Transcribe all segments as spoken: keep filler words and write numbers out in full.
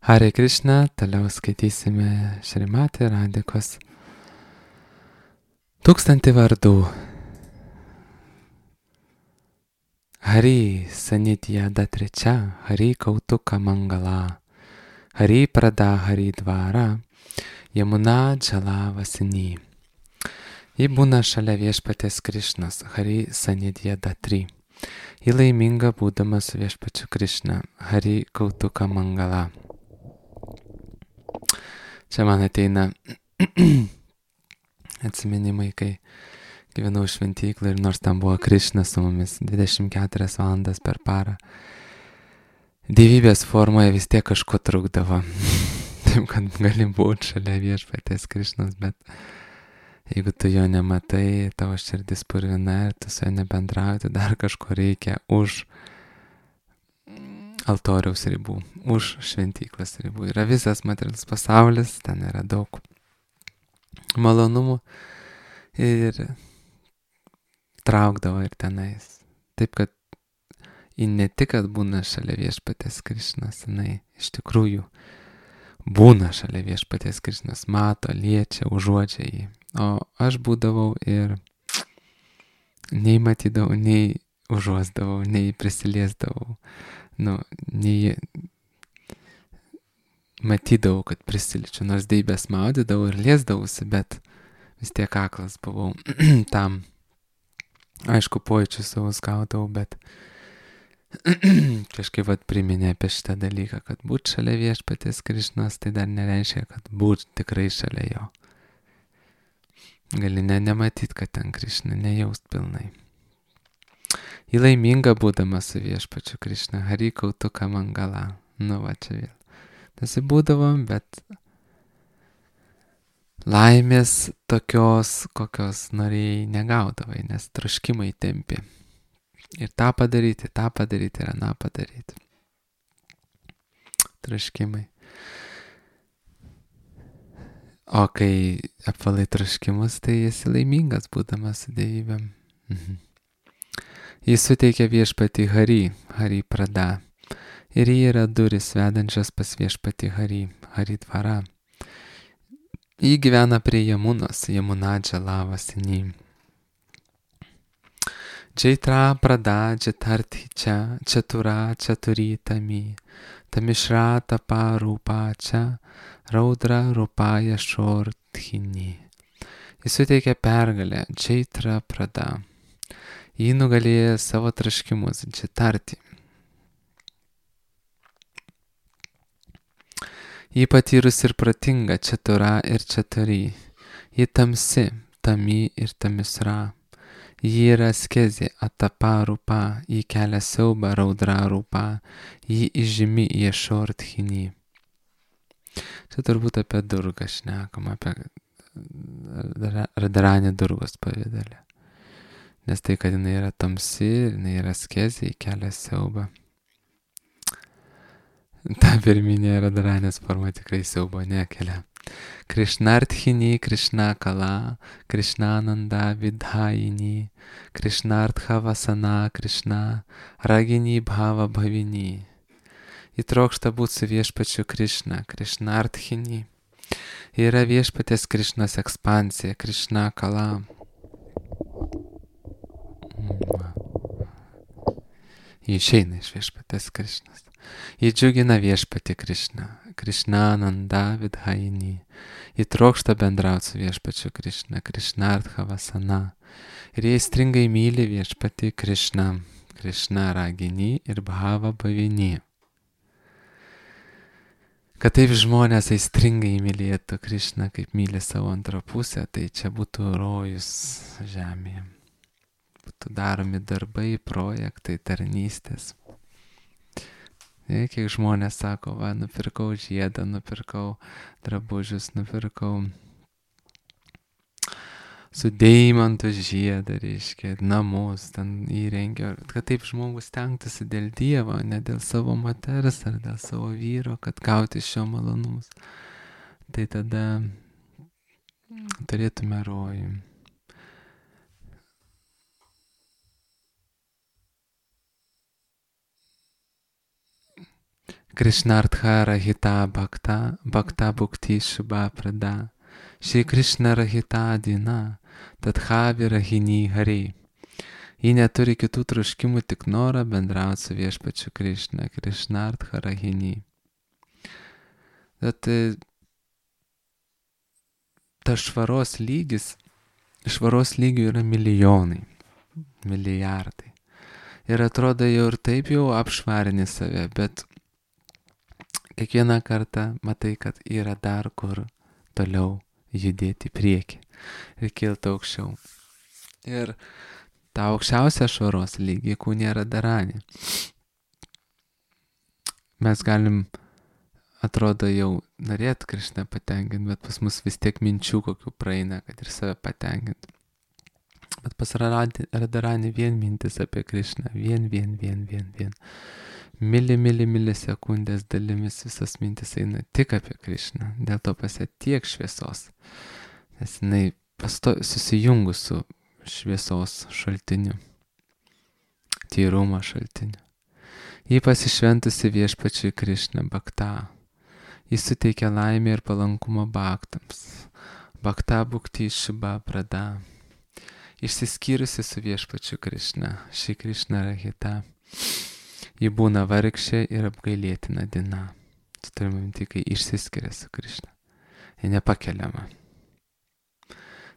Hare Krishna, toliau skaitysime Šrimati Radikos tūkstantį vardų. Hari Sanidhya Datricha, Hari Kautuka Mangala, Hari Prada Hari Dvara, Yamuna Džala Vasini. Ji būna šalia viešpatės Krišnos, Hari Sanidhya Datri. Ji laiminga būdama su viešpačiu Krišna, Hari Kautuka Mangala. Čia man ateina atsiminimai, kai gyvenau šventyklą ir nors ten buvo Krišna su mumis dvidešimt keturias valandas per parą, dievybės formoje vis tiek kažko trukdavo. Taip, kad gali būti šalia viešpatės Krišnos, bet jeigu tu jo nematai, tavo širdis purvina ir tu su juo nebendrauji, tai dar kažko reikia už altoriaus ribų, už šventyklos ribų. Yra visas materialus pasaulis, ten yra daug malonumų ir traukdavo ir tenais. Taip, kad ji ne tik, kad būna šalia viešpatės Krišnos, jinai iš tikrųjų būna šalia viešpatės Krišnos, mato, liečia, užuodžia jį. O aš būdavau ir nei matydavau, nei užuosdavau, nei prisiliesdavau. Nu, nei matydavau, kad prisiliečiu, nors deibės maudydavau ir liesdavausi, bet vis tiek aklas buvau tam. Aišku, pojūčių savo gaudavau, bet kažkaip vat priminė apie šitą dalyką, kad būt šalia viešpatės Krišnos, tai dar nereiškia, kad būt tikrai šalia jo. Gali ne nematyt, kad ten Krišna, nejaust pilnai. Ji laiminga būdama su viešpačiu Krišna, Hari Kautuka Mangala. Nu va čia vėl. Nesibūdavom, bet laimės tokios, kokios norėjai, negaudavai, nes troškimai tempi. Ir tą padaryti, tą padaryti ir aną padaryti. Troškimai. O kai apvalai troškimus, tai esi laimingas būdamas su dievybėm. Mhm. Jis suteikia viešpatį Hari, Hari Prada. Ir jį yra duris vedančios pas viešpatį Hari, Hari Dvara. Jį gyvena prie Jamunos, Yamuna Džala Vasini. Jaitra Prada Jatarthi Cha, Chatura Chaturi Tami, Tamishra Tapa Rupa Cha, Raudra Rupaya Shorthini. Jis suteikia pergalę, Jaitra Prada. Jį nugalėjo savo traškimus, Jatarthi. Jį patyrus ir protinga, Chatura ir Chaturi. Jį tamsi, Tami ir Tamisra. Jį yra askezė, Atapa Rupa. Jį kelia siaubą, Raudra Rupa. Jį įžymi Yeshorthini. Čia turbūt apie Durgą šnekam, apie Radharanį Durgos pavidalę. Nes tai, kad jinai yra tamsi, jinai yra askezė, jį kelia siaubą. Ta pirminė Radharanės forma tikrai siaubo nekelia. Krishnarthini, Krishna Kala, Krishnananda Vidhayini, Krishnartha Vasana, Krishna, Ragini Bhava Bhavini. Įtrokšta būti su viešpačiu Krishna, Krishnarthini. Yra viešpatės Krishnos ekspansija, Krishna Kala. Jį išeina iš viešpatės Krishnos. Jį džiugina viešpatį Krishna, Krishnananda Vidhayini. Jį trokšta bendrauti su viešpačiu Krishna, Krishnartha Vasana. Ir jie stringai myli viešpatį Krishna, Krishna Ragini ir Bhava Bhavini. Kad taip žmonės aistringai mylėtų Krishną, kaip myli savo antrą pusę, tai čia būtų rojus žemėje. Būtų daromi darbai, projektai, tarnystės. Kiek žmonės sako, va, nupirkau žiedą, nupirkau drabužius, nupirkau su deimantu žiedą, reiškia, namus ten įrengia. Kad taip žmogus stengtųsi dėl Dievo, ne dėl savo moters ar dėl savo vyro, kad gauti šio malonumus. Tai tada turėtume rojų. Krishnartha Rahita Bhakta, Bhakta Bhukti Shubha Prada, Shri Krishna Rahita Dina, Tadha Virahini Hari. Ji neturi kitų troškimų, tik norą bendrauti su viešpačiu Krishna, Krishnartha Rahini. Bet tas švaros lygis, švaros lygių yra milijonai, milijardai. Ir atrodo jau ir taip jau apšvarini save, bet kiekvieną kartą matai, kad yra dar kur toliau judėti į priekį ir kilti aukščiau. Ir tą aukščiausią švaros lygį kūne yra daranė. Mes galim, atrodo, jau norėt Krishną patenkinti, bet pas mus vis tiek minčių kokių praeina, kad ir save patenkinti. Bet pas Radharani vien mintis apie Krishną, vien, vien, vien, vien, vien. Mili, mili, mili sekundės dalimis visas mintis eina tik apie Krishną. Dėl to pas ją tiek šviesos, nes jinai pasto susijungus su šviesos šaltiniu, tyrumo šaltiniu. Ji pasišventusi viešpačiui Krishna Bhakta. Jis suteikia laimę ir palankumą bhaktams. Bhakta Bhukti Shubha Prada. Išsiskyrusi su viešpačiu Krishna, Shri Krishna Rahita. Ji būna vargšė ir apgailėtina dina. Tu turime minti, kai išsiskiria su Krishna. Ji nepakeliama.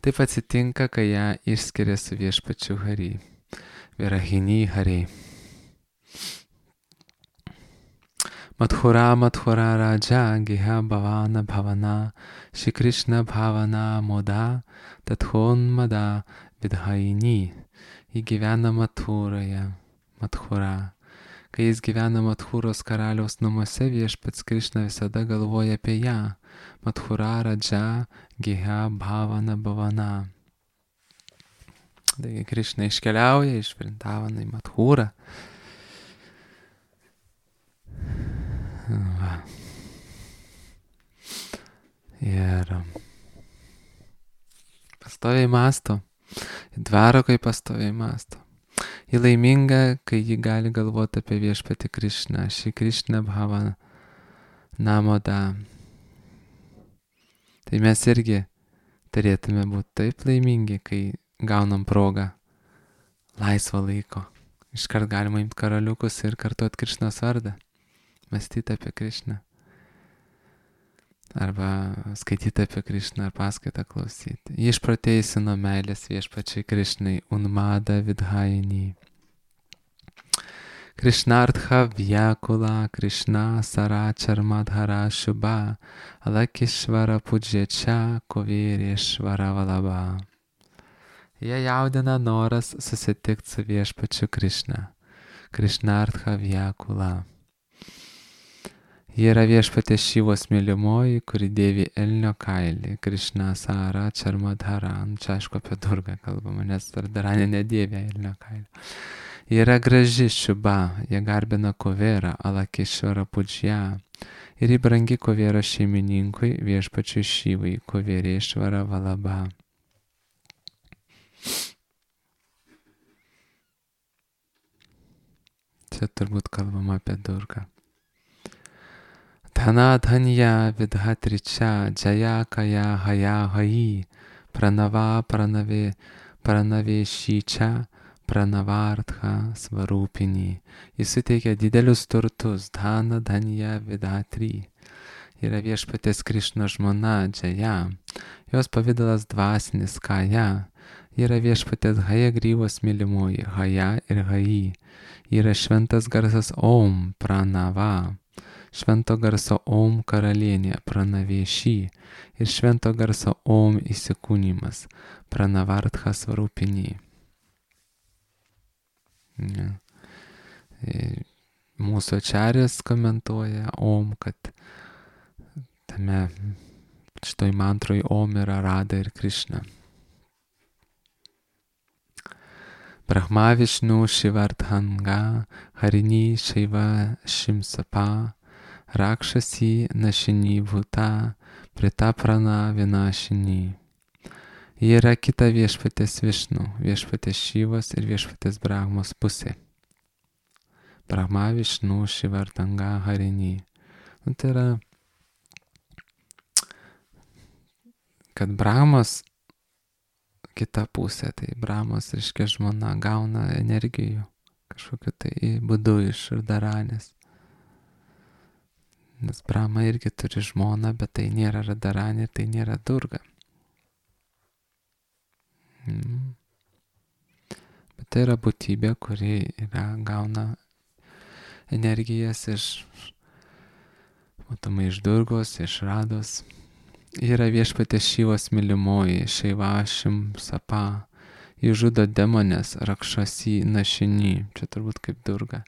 Taip atsitinka, kai ją išskiria su viešpačiu Hari. Virahini Hari. Madhura Madhura Raja Giha Bhavana Bhavana Shri Krishna Bhavana Moda Tathon Mada Vidhaini. Ji gyvena Madhuroje. Madhura. Kai jis gyvena Madhuros karaliaus namuose, viešpats Krishna visada galvoja apie ją. Madhura Raja Giha Bhavana Bhavana. Taigi Krishna iškeliauja iš Vrindavana į Madhurą. Va. Ir pastoviai mąsto. Dvarokai pastoviai mąsto. Ji laiminga, kai ji gali galvoti apie viešpatį Krishną, Shri Krishna Bhavana Moda. Tai mes irgi turėtume būti taip laimingi, kai gaunam progą laisvo laiko. Iškart galima imti karaliukus ir kartuoti Krishnos vardą. Mąstyti apie Krishną. Arba skaityti apie Krishną ar paskaitą klausyti. Ji išprotėjusi nuo meilės viešpačiai Krishnai, Unmada Vidhaini. Krishnartha Vyakula Krishna Sarachar Madhara Shubha Alakishvara Puječia Kovirishvara Valabha. Jie jaudina noras susitikti su viešpačiu Krishna. Krishnartha Vyakula. Ji yra viešpatės Šivos mylimoji, kuri dėvi elnio kailį. Krishna Sarachar Madhara. Čia aišku apie Durgą kalbama, nes Radharani nedėvi elnio kailį. Ji yra graži Shubha, jie garbina Kuverą, Alakishvara Pujya. Ir ji brangi Kuvero šeimininkui, viešpačiui Šivai, Kuverishvara Valabha. Čia turbūt kalbama apie Durgą. Dhana Dhanya Vidhatricha Jaya Kaya Haya Hayi Pranava Pranave Pranave Šičia Pranavartha Svarupini. Jis suteikia didelius turtus. Dhana Dhanya Vidhatri. Yra viešpatės Krishno žmona Jaya. Jos pavidalas dvasinis Kaya. Yra viešpatės Hayagryvos mylimoji Haya ir Hayi. Yra šventas garsas Om Pranava. Švento garso Om karalienė Pranavėši ir švento garso Om įsikūnymas Pranavartha Svarupini. Ja. Mūsų ačarės komentuoja Om, kad tame šitoj mantroj Om yra Radha ir Krishna. Brahma Vishnu Shivardhanga Harini Shiva Shimsapa Rakshasi Nashini Bhuta Pritaprana Vinashini. Ji yra kita viešpatės Višnu, viešpatės Šivos ir viešpatės Brahmos pusė. Brahma Vishnu Shivardhanga Harini. Nu, tai yra, kad Brahmas, kita pusė, tai Brahmas, reiškia, žmona gauna energijų kažkokiu tai būdu iš Radharanės. Nes Brahma irgi turi žmoną, bet tai nėra Radharanė ir tai nėra Durga. Mm. Bet tai yra būtybė, kuri yra, gauna energijas iš, matomai, iš Durgos, iš Rados. Yra viešpatės Šivos mylimoji, Šeivašim Sapa. Jis žudo demonės, Rakšasi Našiny, čia turbūt kaip Durga.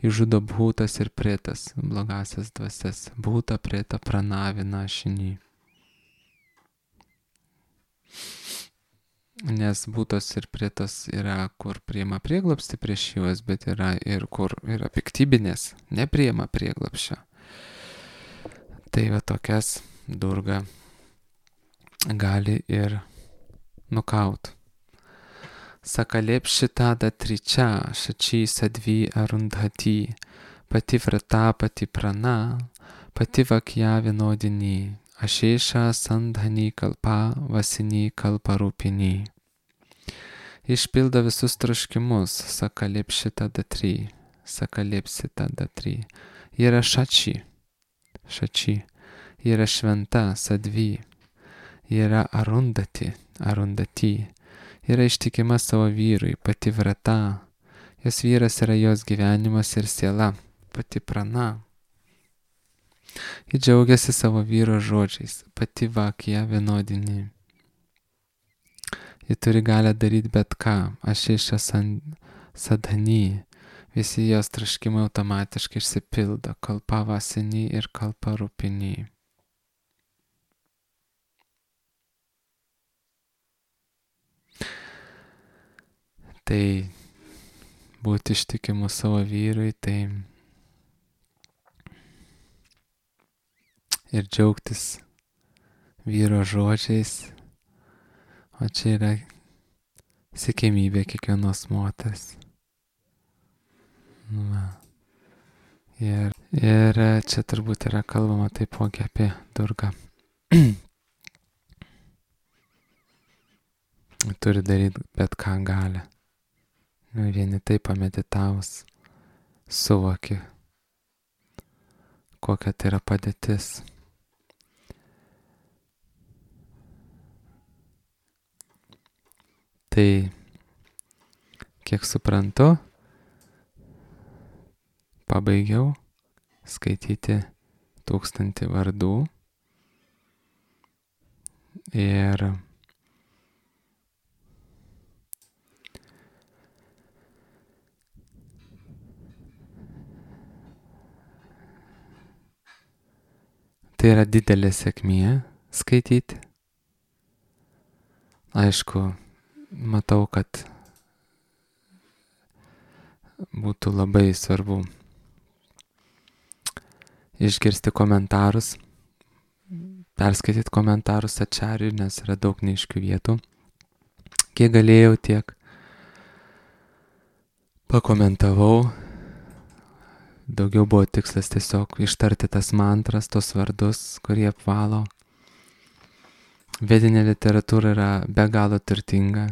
Jis žudo Bhutas ir Pretas, blogasias dvasias. Bhuta, Preta, Pranavi, Našiny. Nes Bhutas ir Pretas yra, kur priima prieglobstį prieš juos, bet yra ir kur yra piktybinės, nepriima prieglobsčio. Tai va tokias Durga gali ir nukaut. Sakalepšita datričia, šači sadvi arundhati, pati vrata, pati prana, pati vakja vienodini, ašeša sandhani kalpa, vasini kalpa rūpini. Išpildo visus troškimus, sakalepšita datri, sakalepsita datri. Yra šači, šači, yra šventa, sadvi. Yra arundati, arundati, yra ištikima savo vyrui, pati vrata, jos vyras yra jos gyvenimas ir siela, pati prana. Ji džiaugiasi savo vyro žodžiais, pati vakija vienodini. Ji turi galę daryti bet ką, ašeša sadhani, visi jos troškimai automatiškai išsipildo, kalpa vasini ir kalpa rūpini. Tai būti ištikimu savo vyrui, tai ir džiaugtis vyro žodžiais, o čia yra siekiamybė kiekvienos moters. Va. Ir, ir čia turbūt yra kalbama taipogi apie Durgą. Turi daryti bet ką gali. Vieni taip pameditavus suvoki, kokia tai yra padėtis. Tai, kiek suprantu, pabaigiau skaityti tūkstantį vardų ir tai yra didelė sėkmė skaityti. Aišku, matau, kad būtų labai svarbu išgirsti komentarus, perskaityti komentarus ačariui, nes yra daug neaiškių vietų. Kiek galėjau, tiek pakomentavau. Daugiau buvo tikslas tiesiog ištarti tas mantras, tos vardus, kurie apvalo. Vedinė literatūra yra be galo turtinga.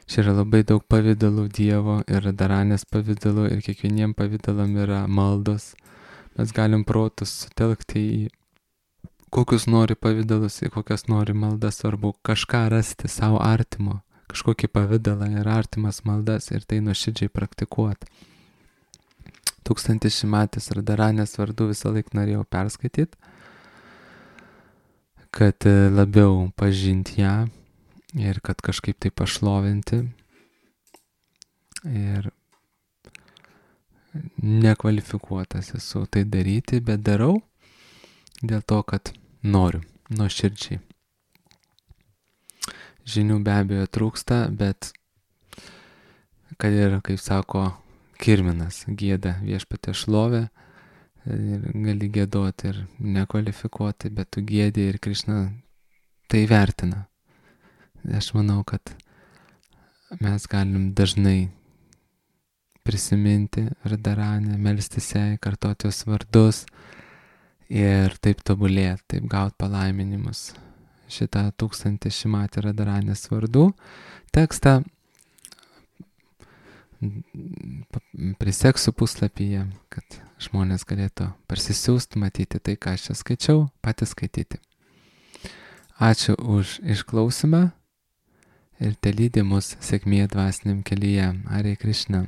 Čia yra labai daug pavydalų Dievo ir Radharanės pavydalų ir kiekvieniem pavydalam yra maldos. Mes galim protus sutelkti į kokius nori pavydalus, į kokias nori maldas, svarbu kažką rasti savo artimo, kažkokį pavydalą ir artimas maldas ir tai nuoširdžiai praktikuoti. Tūkstantis šimatis Radharanės vardų visą laiką norėjau perskaityti, kad labiau pažinti ją ir kad kažkaip tai pašlovinti. Ir nekvalifikuotas esu tai daryti, bet darau dėl to, kad noriu, nuoširdžiai. Žinių be abejo trūksta, bet kad ir, kaip sako Kirminas, gieda viešpatė šlovę, ir gali giedoti ir nekvalifikuoti, bet tu giedi ir Krišna tai vertina. Aš manau, kad mes galim dažnai prisiminti Radharanę, melstis jai, kartoti jos vardus ir taip tobulėti, taip gauti palaiminimus. Šitą tūkstantį Šimatį Radharanės vardų tekstą priseksiu puslapyje, kad žmonės galėtų parsisiųsti, matyti tai, ką aš čia skaičiau, patys skaityti. Ačiū už išklausimą ir telydi mus sėkmė dvasiniam kelyje. Hare Krishna.